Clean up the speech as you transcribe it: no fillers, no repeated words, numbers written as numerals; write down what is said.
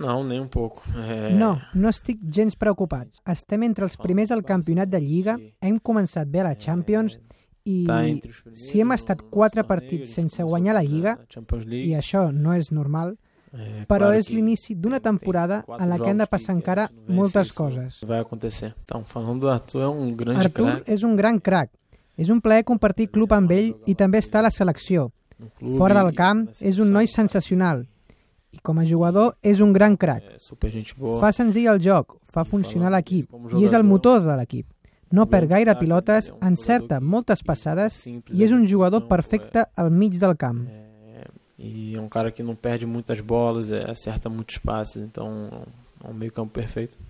Não, nem um pouco. No, no estic gens preocupat. Estem entre els primers al campionat de Lliga, hem començat bé a la Champions i si hem estat 4 partits sense guanyar la Lliga, i això no és normal, però és l'inici d'una temporada en la que han de passar encara moltes coses. Arthur és un gran crac. És un plaer compartir club amb ell i també estar a la selecció. Fora del camp és un noi sensacional. I com a jugador és un gran crac. Fa senzill el joc, fa funcionar l'equip i és el motor de l'equip. No perd gaire pilotes, encerta moltes passades i és un jugador perfecte al mig del camp. E é um cara que não perde muitas bolas, acerta muitos passes, então é um meio campo perfeito.